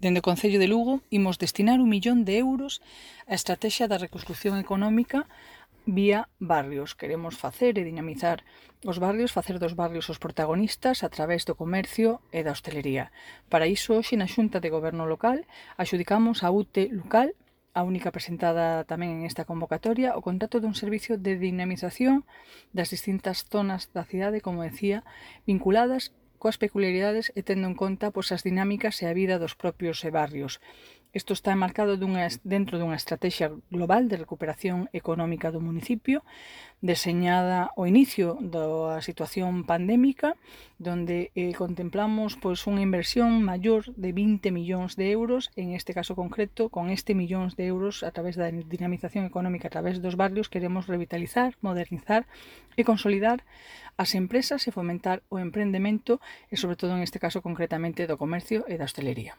Dende o Concello de Lugo imos destinar 1 millón de euros á estrategia da reconstrucción económica vía barrios. Queremos facer e dinamizar os barrios, facer dos barrios os protagonistas a través do comercio e da hostelería. Para iso, hoxe na Xunta de Goberno Local axudicamos a UTE Local, a única presentada tamén en esta convocatoria, o contrato dun servicio de dinamización das distintas zonas da cidade, como decía, vinculadas coas peculiaridades e tendo en conta as dinámicas e a vida dos propios barrios. Isto está enmarcado dentro dunha estrategia global de recuperación económica do municipio, deseñada ao inicio da situación pandémica, donde contemplamos unha inversión maior de 20 millóns de euros, en este caso concreto, con millóns de euros a través da dinamización económica a través dos barrios, queremos revitalizar, modernizar e consolidar as empresas e fomentar o emprendemento e, sobre todo, en este caso concretamente, do comercio e da hostelería.